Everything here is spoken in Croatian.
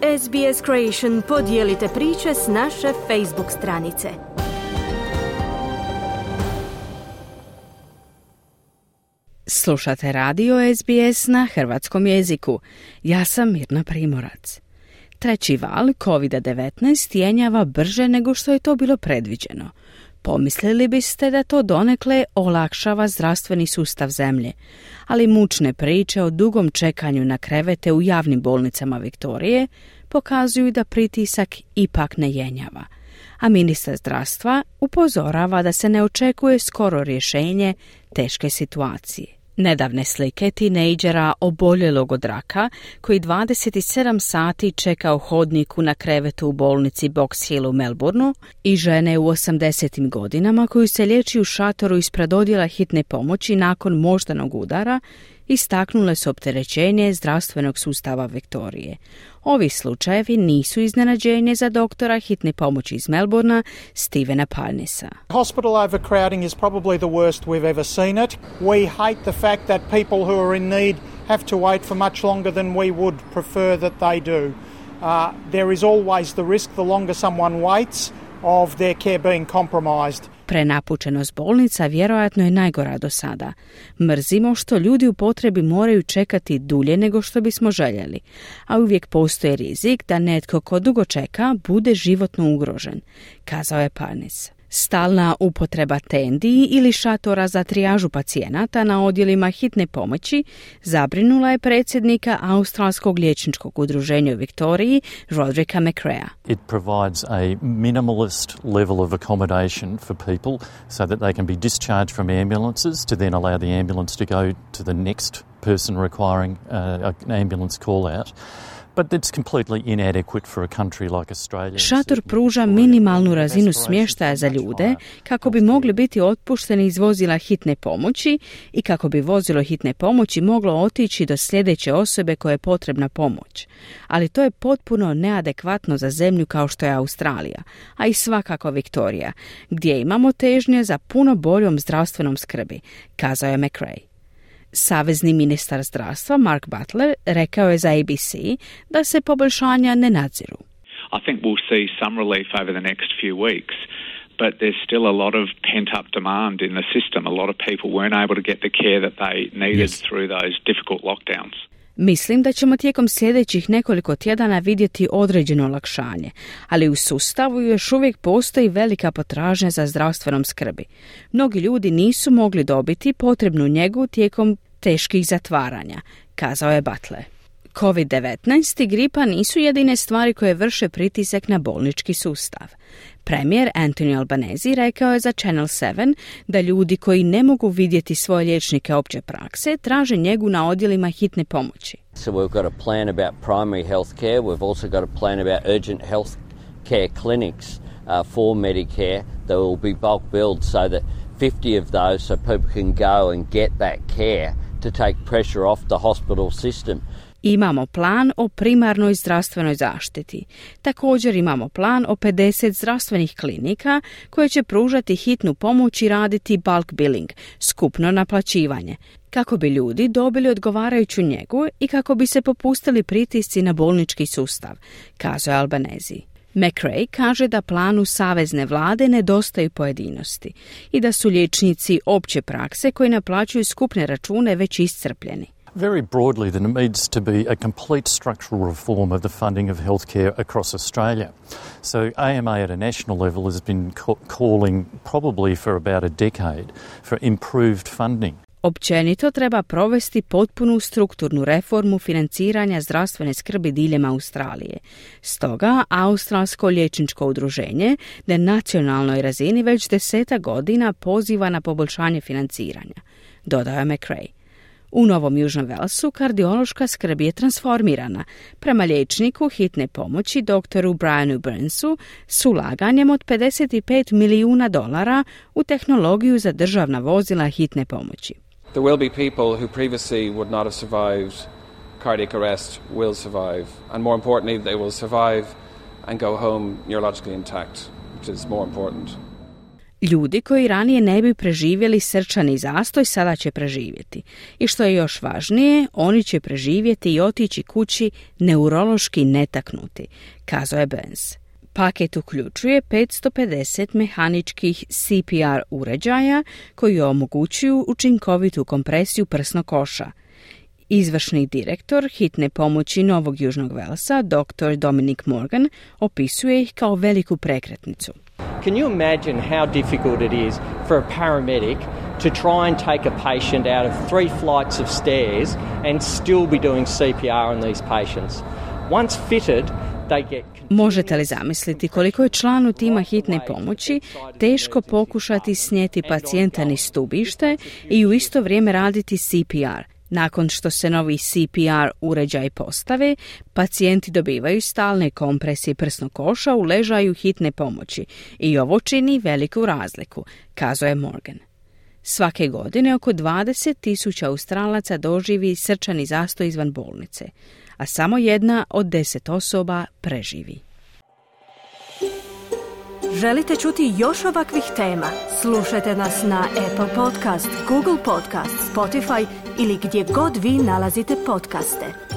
SBS Creation podijelite priče s naše Facebook stranice. Slušate radio SBS na hrvatskom jeziku. Ja sam Mirna Primorac. Treći val COVID-19 jenjava brže nego što je to bilo predviđeno. Pomislili biste da to donekle olakšava zdravstveni sustav zemlje, ali mučne priče o dugom čekanju na krevete u javnim bolnicama Viktorije pokazuju da pritisak ipak ne jenjava, a ministar zdravstva upozorava da se ne očekuje skoro rješenje teške situacije. Nedavne slike tinejdžera oboljelog od raka koji 27 sati čeka u hodniku na krevetu u bolnici Box Hill u Melbourneu i žene u 80. godinama koju se liječi u šatoru ispred odjela hitne pomoći nakon moždanog udara istaknule su opterećenje zdravstvenog sustava Viktorije. Ovi slučajevi nisu iznenađenje za doktora hitne pomoći iz Melbournea Stevena Parnisa. Hospital overcrowding is probably the worst we've ever seen it. We hate the fact that people who are in need have to wait for much longer than we would prefer that they do. There is always the risk, the longer someone waits, of their care being compromised. Prenapučenost bolnica vjerojatno je najgora do sada. Mrzimo što ljudi u potrebi moraju čekati dulje nego što bismo željeli, a uvijek postoji rizik da netko ko dugo čeka bude životno ugrožen, kazao je Parnis. Stalna upotreba tendi ili šatora za trijažu pacijenata na odjelima hitne pomoći zabrinula je predsjednika Australskog liječničkog udruženja u Viktoriji, Rodricka McCrea. It provides a minimalist level of accommodation for people so that they can be discharged from ambulances to then allow the ambulance to go to the next person requiring an ambulance call out. But it's completely inadequate for a country like Australia. Šator pruža minimalnu razinu smještaja za ljude kako bi mogli biti otpušteni iz vozila hitne pomoći i kako bi vozilo hitne pomoći moglo otići do sljedeće osobe koje je potrebna pomoć. Ali to je potpuno neadekvatno za zemlju kao što je Australija, a i svakako Viktorija, gdje imamo težnje za puno boljom zdravstvenom skrbi, kazao je McRae. Savezni ministar zdravstva Mark Butler rekao je za ABC da se poboljšanja ne nadziru. I think we'll see some relief over the next few weeks, but there's still a lot of pent-up demand in the system. A lot of people weren't able to get the care that they needed through those difficult lockdowns. Mislim da ćemo tijekom sljedećih nekoliko tjedana vidjeti određeno olakšanje, ali u sustavu još uvijek postoji velika potražnja za zdravstvenom skrbi. Mnogi ljudi nisu mogli dobiti potrebnu njegu tijekom teških zatvaranja, kazao je Butler. COVID-19 i gripa nisu jedine stvari koje vrše pritisak na bolnički sustav. Premijer Anthony Albanese rekao je za Channel 7 da ljudi koji ne mogu vidjeti svoje liječnike opće prakse traže njegu na odjelima hitne pomoći. So we've got a plan about primary health care. We've also got a plan about urgent health care clinics for Medicare that will be bulk billed so that 50 of those so people can go and get that care to take pressure off the hospital system. Imamo plan o primarnoj zdravstvenoj zaštiti. Također imamo plan o 50 zdravstvenih klinika koje će pružati hitnu pomoć i raditi bulk billing, skupno naplaćivanje, kako bi ljudi dobili odgovarajuću njegu i kako bi se popustili pritisci na bolnički sustav, kazao je Albanese. McRae kaže da planu savezne vlade nedostaju pojedinosti i da su liječnici opće prakse koji naplaćuju skupne račune već iscrpljeni. Very broadly, there needs to be a complete structural reform of the funding of healthcare across Australia. So AMA at a national level has been calling probably for about a decade for improved funding. Općenito treba provesti potpunu strukturnu reformu financiranja zdravstvene skrbi diljem Australije. Stoga, Australsko liječničko udruženje na nacionalnoj razini već 10 godina poziva na poboljšanje financiranja, dodao je McRae. U Novom Južnom Walesu kardiološka skrb je transformirana prema liječniku hitne pomoći doktoru Brianu Burnsu s ulaganjem od $55 milijuna u tehnologiju za državna vozila hitne pomoći. There will be people who previously would not have survived cardiac arrest will survive, and more importantly, they will survive and go home neurologically intact, which is more important. Ljudi koji ranije ne bi preživjeli srčani zastoj sada će preživjeti. I što je još važnije, oni će preživjeti i otići kući neurološki netaknuti, kazao je Burns. Paket uključuje 550 mehaničkih CPR uređaja koji omogućuju učinkovitu kompresiju prsnog koša. Izvršni direktor hitne pomoći Novog Južnog Velsa, dr. Dominic Morgan, opisuje ih kao veliku prekretnicu. Can you imagine how difficult it is for a paramedic to try and take a patient out of 3 flights of stairs and still be doing CPR on these patients? Once fitted, they get... Možete li zamisliti koliko je članu tima hitne pomoći teško pokušati snijeti pacijenta niz stubište i u isto vrijeme raditi CPR? Nakon što se novi CPR uređaj postave, pacijenti dobivaju stalne kompresije prsnog koša u ležaju hitne pomoći i ovo čini veliku razliku, kazao je Morgan. Svake godine oko 20,000 Australaca doživi srčani zastoj izvan bolnice, a samo 1 od 10 osoba preživi. Želite čuti još ovakvih tema? Slušajte nas na Apple Podcast, Google Podcast, Spotify ili gdje god vi nalazite podcaste.